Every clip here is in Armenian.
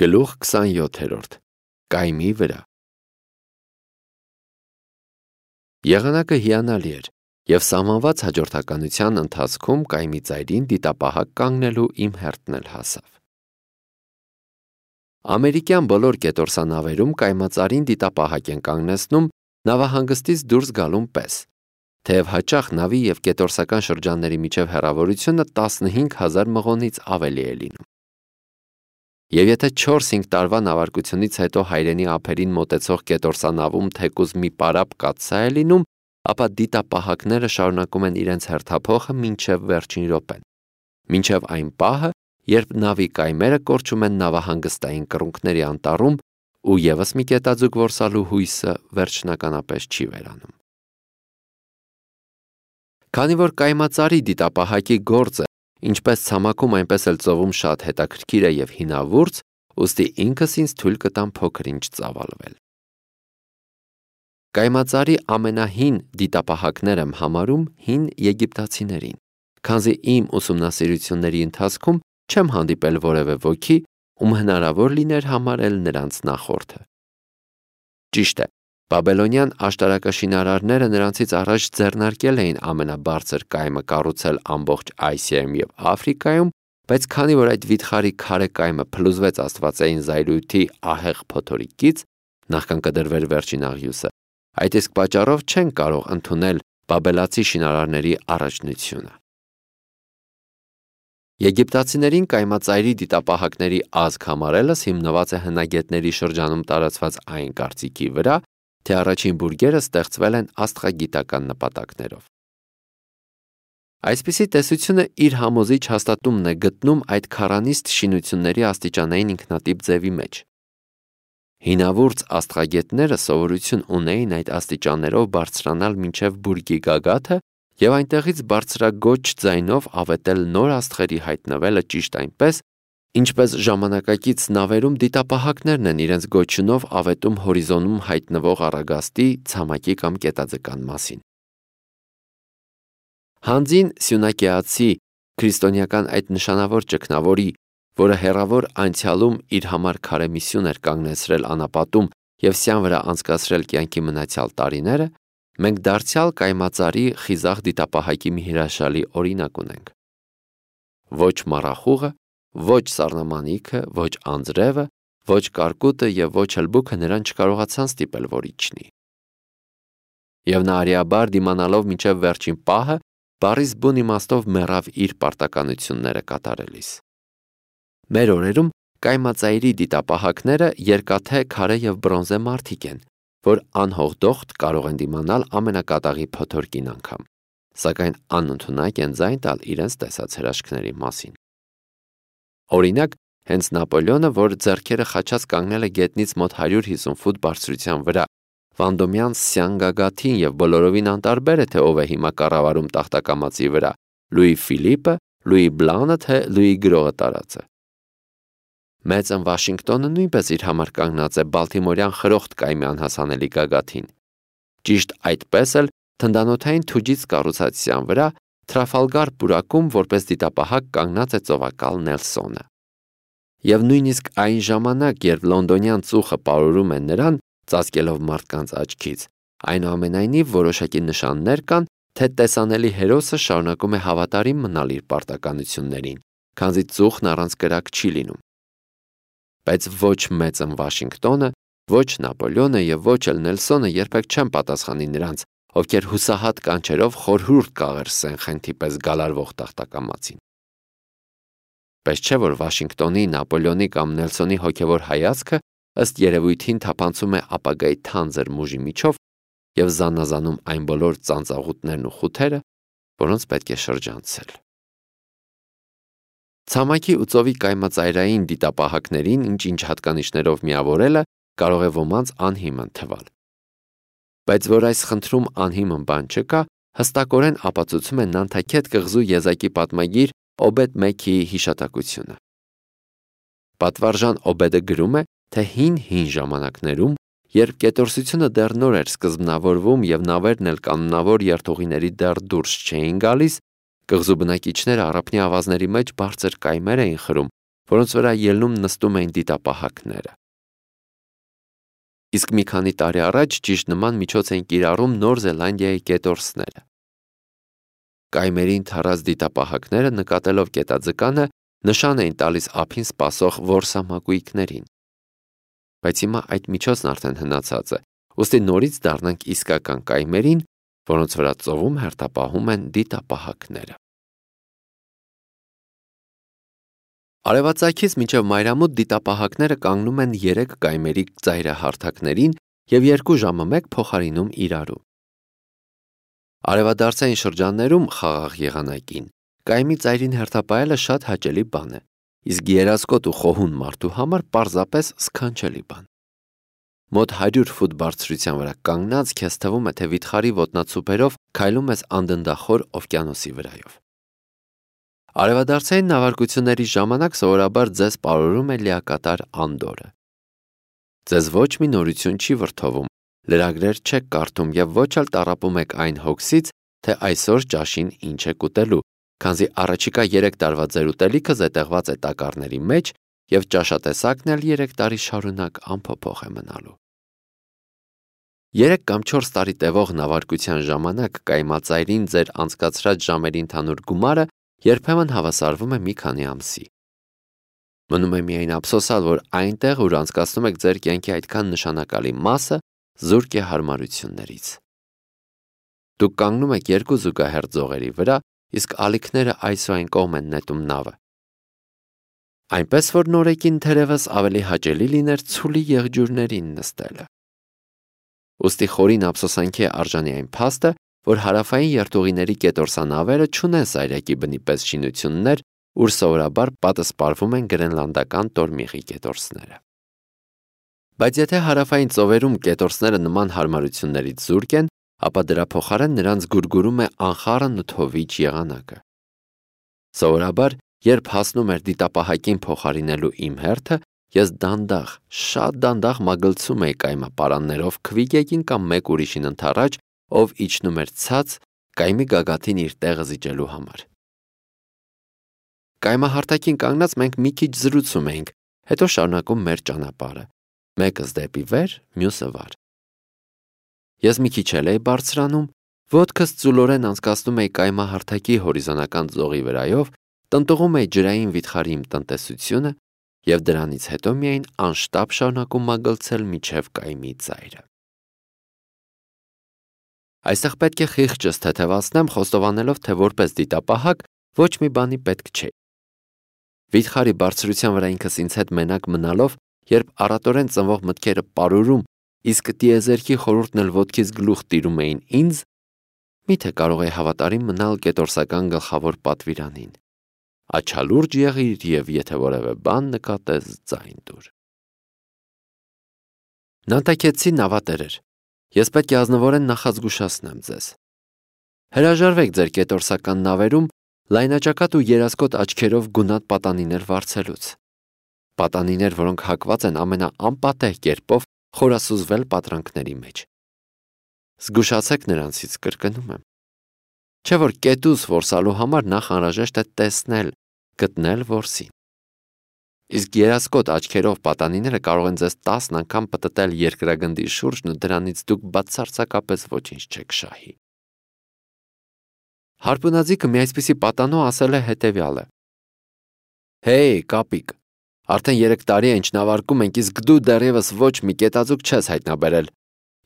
Գլուխ 27 Կայմի վրա Եղանակը հիանալի էր, և սահմանված հաջորդականության ընթացքում կայմի ծայրին դիտապահակ կանգնելու իմ հերթն էլ հասավ։ Ամերիկյան բոլոր կետորսանավերում կայմածարին դիտապահակ են կանգնեցնում նավահանգստից դուրս գալուն պես, թեև հաճախ նավի և կետորսական շրջանների միջև հեռավորությունը 15,000 մղոնից ավելի է լինում։ Եվ եթե 4-5 տարվա նավարկությունից հետո հայրենի ափերին մոտեցող կետորսանավում թեկուզ մի պարապ կաթսա է լինում, ապա դիտապահակները շարունակում են իրենց հերթափոխը մինչև վերջին րոպեն, մինչև այն պահը, երբ նավի կայմերը կորչում են նավահանգստային կռունկների անտառում ու ևս մի կետաձուկ որսալու հույսը վերջնականապես չի վերանում։ Քանի որ կայմածարի դիտապահակի գործը ինչպես ցամաքում, այնպես էլ ծովում շատ հետաքրքիր է և հինավուրց, ուստի ինքս ինձ թույլ կտամ փոքր-ինչ ծավալվել։ Կայմածարի ամենահին դիտապահակներ եմ համարում հին եգիպտացիներին, քանզի իմ ուսումնասիրությունների ընթացքում չեմ հանդիպել որևէ ոքի, ում հնարավոր լիներ համարել նրանց նախորդը։ Ճիշտ է, բաբելոնյան աշտարակաշինարարները նրանցից առաջ ձեռնարկել էին ամենաբարձր կայմը կառուցել ամբողջ Ասիայում և Աֆրիկայում, բայց քանի որ այդ վիթխարի քարե կայմը փլուզվեց աստվածային զայրույթի ահեղ փոթորիկից, նախքան կդրվեր վերջին աղյուսը, այդ իսկ պատճառով չեն կարող ընդունել բաբելացի շինարարների առաջնությունը։ Եգիպտացիներին կայմածայրի դիտապահակների ազգ համարելս հիմնված է հնագետների շրջանում տարածված այն կարծիքի վրա, թե առաջին բուրգերը ստեղծվել են աստղագիտական նպատակներով։ Այսպիսի տեսությունը իր համոզիչ հաստատումն է գտնում այդ քառանիստ շինությունների աստիճանային ինքնատիպ ձևի մեջ։ Հինավուրց աստղագետները սովորություն ունեին այդ աստիճաններով բարձրանալ մինչև բուրգի գագաթը և այնտեղից բարձրագոչ ձայնով ավետել նոր աստղերի հայտնվելը ճիշտ այնպես, ինչպես ժամանակակից նավերում դիտապահակներն են իրենց գոչյունով ավետում հորիզոնում հայտնվող առագաստի, ցամաքի կամ կետաձկան մասին։ Հանձին սյունակեացի քրիստոնեական այդ նշանավոր ճգնավորի, որը հեռավոր անցյալում իր համար քարե միսիոն էր կանգնեցրել անապատում և սյան վրա անցկացրել կյանքի մնացյալ տարիները, մենք դարձյալ կայմածարի խիզախ դիտապահակի մի հրաշալի օրինակ ունենք։ Ոչ մառախուղը, ոչ սառնամանիքը, ոչ անձրևը, ոչ կարկուտը և ոչ հլբուքը նրան չկարողացան ստիպել, որ իջնի։ Եվ նա արիաբար դիմանալով մինչև վերջին պահը, բառիս բուն իմաստով մեռավ իր պարտականությունները կատարելիս։ Մեր օրերում կայմածայրի դիտապահակները երկաթե, քարե և բրոնզե մարդիկ են, որ անհողդոխտ կարող են դիմանալ ամենակատաղի փոթորկին անգամ, սակայն անընդունակ են ձայն տալ իրենց տեսած հրաշքների մասին։ Օրինակ, հենց Նապոլեոնը, որ ձեռքերը խաչած կանգնել է գետնից մոտ 150 ֆուտ բարձրության վրա, Վանդոմյան սյան գագաթին և բոլորովին անտարբեր է, թե ով է հիմա կառավարում տախտակամածի վրա՝ Լուի Ֆիլիպը, Լուի Բլանը, թե Լուի Գրողը տարածը։ Մեծն Վաշինգտոնը նույնպես իր համար կանգնած է բալթիմորյան խրոխտ կայմի անհասանելի գագաթին։ Ճիշտ այդպես էլ թնդանոթային թուջից կառուցած սյան վրա Թրաֆալգար պուրակում որպես դիտապահակ կանգնած է ծովակալ Նելսոնը։ Եվ նույնիսկ այն ժամանակ, երբ լոնդոնյան ծուխը պարուրում է նրան, ծածկելով մարդկանց աչքից, այնուամենայնիվ որոշակի նշաններ կան, թե տեսանելի հերոսը շարունակում է հավատարիմ մնալ իր պարտականություններին, քանզի ծուխն առանց կրակ չի լինում։ Բայց ոչ մեծն Վաշինգտոնը, ոչ Նապոլեոնը և ոչ էլ Նելսոնը երբեք չեն պատասխանի նրանց, ովքեր հուսահատ կանչերով խորհուրդ կաղերսեն խենթի պես գալարվող տախտակամածին։ Պես չէ, որ Վաշինգտոնի, Նապոլեոնի կամ Նելսոնի հոգևոր հայացքը ըստ երևույթին թափանցում է ապագայի թանձր մուժի միջով և զանազանում այն բոլոր ծանծաղուտներն ու խութերը, որոնց պետք է շրջանցել։ Ցամաքի ու ծովի կայմածայրային դիտապահակներին ինչ-ինչ հատկանիշներով միավորելը կարող է ոմանց անհիմն թվալ։ Բայց որ այս խնդրում անհիմն բան չկա, հստակորեն ապացուցում է Նանթաքետ կղզու եզակի պատմագիր Օբեդ Մեքիի հիշատակությունը։ Պատվարժան Օբեդը գրում է, թե հին ժամանակներում, երբ կետորսությունը դեռ նոր էր սկզբնավորվում և նավերն էլ կանոնավոր երթուղիների դեռ դուրս չէին գալիս, կղզու բնակիչները առափնյա ավազների մեջ բարձր կայմեր էին խրում, որոնց վրա ելնում նստում էին դիտապահակները։ Իսկ մի քանի տարի առաջ ճիշտ նման միջոց էին կիրառում Նոր Զելանդիայի կետորսները։ Կայմերին թարած դիտապահակները նկատելով կետաձկանը նշան էին տալիս ափին սպասող որսամակույկներին։ Բայց հիմա այդ միջոցն արդեն հնացած է, ուստի նորից դառնանք իսկական կայմերին, որոնց վրա ծովում հերթապահում են դիտապահակները։ Արևածագից մինչև մայրամուտ դիտապահակները կանգնում են 3 կայմերի ծայրահարթակներին և 2 ժամը մեկ փոխարինում իրարու։ Արևադարձային շրջաններում խաղաղ եղանակին կայմի ծայրին հերթապահելը շատ հաճելի բան է, իսկ երասկոտ ու խոհուն մարդու համար պարզապես սքանչելի բան։ Մոտ 100 ֆուտ բարձրության վրա կանգնած քեզ թվում է, թե վիթխարի ոտնացուպերով քայլում ես անդնդախոր օվկիանոսի վրայով։ Արևադարձային նավարկությունների ժամանակ սովորաբար ձեզ պարուրում է լիակատար անդորը։ Ձեզ ոչ մի նորություն չի վրդովում, լրագրեր չեք կարդում և ոչ էլ տառապում եք այն հոգսից, թե այսօր ճաշին ինչ եք ուտելու, քանզի առաջիկա 3 տարվա ձեր ուտելիքը զետեղված է տակառների մեջ և ճաշատեսակն էլ 3 տարի շարունակ անփոփոխ է մնալու։ 3 կամ 4 տարի տևող նավարկության ժամանակ կայմածայրին ձեր անցկացրած ժամերի ընդհանուր գումարը երբեմն հավասարվում է մի քանի ամսի։ Մնում է միայն ափսոսալ, որ այնտեղ, ուր անցկացնում եք ձեր կյանքի այդքան նշանակալի մասը, զուրկ է հարմարություններից։ Դուք կանգնում եք 2 զուգահեռ ձողերի վրա, իսկ ալիքները այս ու այն կողմ են նետում նավը։ Այնպես որ նորեկին թերևս ավելի հաճելի լիներ ցուլի եղջյուրներին նստելը։ Ուստի խորին ափսոսանքի է արժանի այն փաստը, որ հարավային երթուղիների կետորսանավերը չունեն սայրակի բնի պես շինություններ, ուր սովորաբար պատսպարվում են գրենլանդական տորմիղի կետորսները։ Բայց եթե հարավային ծովերում կետորսները նման հարմարություններից զուրկ են, ապա դրա փոխարեն նրանց գուրգուրում է անխառն ու թովիչ եղանակը։ Սովորաբար, երբ հասնում էր դիտապահակին փոխարինելու իմ հերթը, ես դանդաղ, շատ դանդաղ մագլցում էի կայմապարաններով քվիգեկին կամ մեկ ուրիշին ընդառաջ, ով իջնում էր ցած կայմի գագաթին իր տեղը զիջելու համար։ Կայմահարթակին կանգնած մենք մի քիչ զրուցում էինք, հետո շարունակում մեր ճանապարհը, մեկս դեպի վեր, մյուսը վար։ Ես մի քիչ էլ էի բարձրանում, ոտքս ծուլորեն անցկացնում էի կայմահարթակի հորիզոնական ձողի վրայով, տնտղում էի ջրային վիթխարի իմ տնտեսությունը և դրանից հետո միայն անշտապ շարունակում մագլցել մինչև կայմի ծայրը։ Այստեղ պետք է խիղճս թեթևացնեմ, խոստովանելով, թե որպես դիտապահակ ոչ մի բանի պետք չէ։ Վիթխարի բարձրության վրա ինքս ինձ հետ մենակ մնալով, երբ առատորեն ծնվող մտքերը պարուրում, իսկ տիեզերքի խորհուրդն էլ ոտքից գլուխ տիրում էին ինձ, միթե կարող էի հավատարիմ մնալ կետորսական գլխավոր պատվիրանին։ Աչալուրջ եղիր և եթե որևէ բան նկատես ձայն տուր։ Նանտակեցի նավատերեր, ես պետք է ազնվորեն նախազգուշացնեմ ձեզ։ Հրաժարվեք ձեր կետորսական նավերում լայնաճակատ ու երասկոտ աչքերով գունատ պատանիներ վարձելուց։ Պատանիներ, որոնք հակված են ամենաանպատեհ կերպով խորասուզվել պատրանքների մեջ։ Զգուշացեք նրանցից, կրկնում եմ։ Չէ որ կետուս որսալու համար նախ անհրաժեշտ է տեսնել, գտնել որսին։ Իսկ երասկոտ աչքերով պատանիները կարող են ձեզ 10 անգամ պտտել երկրագնդի շուրջն ու դրանից դուք բացարձակապես ոչինչ չեք շահի։ Հարպունաձիգը մի այսպիսի պատանու ասել է հետևյալը. Հեյ, կապիկ, արդեն 3 տարի է ինչ նավարկում ենք, իսկ դու դեռևս ոչ մի կետաձուկ չես հայտնաբերել։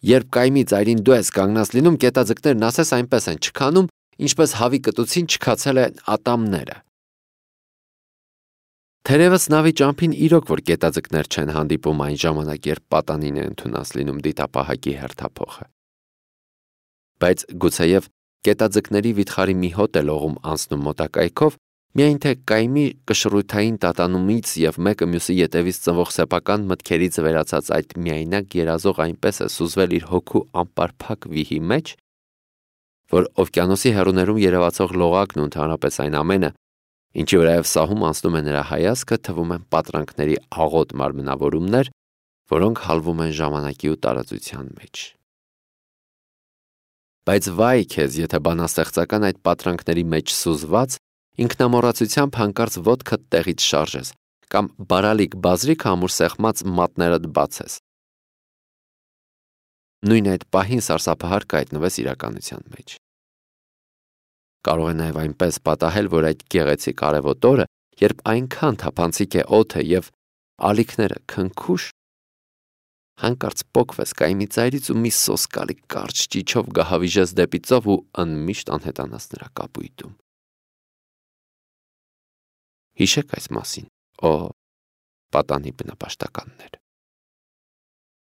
Երբ կայմի ծայրին դու ես կանգնած լինում, կետաձկներն ասես այնպես են չքանում, ինչպես հավի կտուցին չքացել են ատամները։ Թերևս նավի ճամփին իրոք որ կետաձկներ չեն հանդիպում այն ժամանակ, երբ պատանին է ընդունած լինում դիտապահակի հերթափոխը։ Բայց գուցեև կետաձկների վիթխարի մի հոտ է լողում անցնում մոտակայքով, միայն թե կայմի կշռութային տատանումից և մեկը մյուսի ետևից ծնվող սեփական մտքերից վերացած այդ միայնակ երազող այնպես է սուզվել իր հոգու անպարփակ վիհի մեջ, որ օվկիանոսի հեռուներում երևացող լողակն ու ընդհանրապես այն ամենը, ինչի վրայով սահում անցնում է նրա հայացքը, թվում են պատրանքների աղոտ մարմնավորումներ, որոնք հալվում են ժամանակի ու տարածության մեջ։ Բայց վայ քեզ, եթե բանաստեղծական այդ պատրանքների մեջ սուզված, ինքնամոռացությամբ հանկարծ ոտքդ տեղից շարժես, կամ բարալիկ բազրիկ ամուր սեղմած մատներդ բացես։ Նույն այդ պահին սարսափահար կհայտնվես իրականության մեջ։ Կարող է նաև այնպես պատահել, որ այդ գեղեցիկ արևոտ օրը, երբ այնքան թափանցիկ է օդը եւ ալիքները քնքուշ, հանկարծ պոկվես կայմի ծայրից ու մի սոսկալի կարճ ճիչով գահավիժես դեպի ծով ու անմիշտ անհետանաս նրա կապույտում։ Հիշեք այս մասին, պատանի բնապաշտականներ։